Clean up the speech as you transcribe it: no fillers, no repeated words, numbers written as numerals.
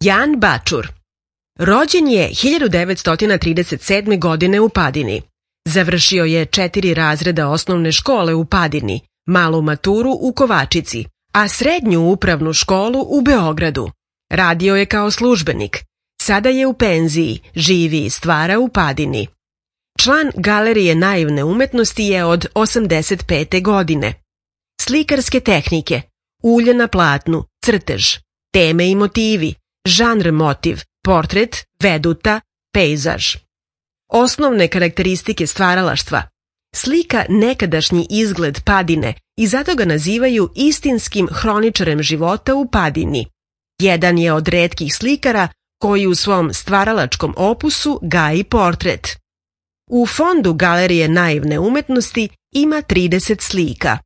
Jan Bačur. Rođen je 1937. godine u Padini. Završio je 4 razreda osnovne škole u Padini, malu maturu u Kovačici, a srednju upravnu školu u Beogradu. Radio je kao službenik. Sada je u penziji, živi i stvara u Padini. Član Galerije naivne umetnosti je od 85. godine. Slikarske tehnike: ulje na platnu, crtež, teme i motivi, žanr motiv, portret, veduta, pejzaž. Osnovne karakteristike stvaralaštva: slika nekadašnji izgled Padine i zato ga nazivaju istinskim hroničarem života u Padini. Jedan je od retkih slikara koji u svom stvaralačkom opusu gaji portret. U fondu Galerije naivne umetnosti ima 30 slika.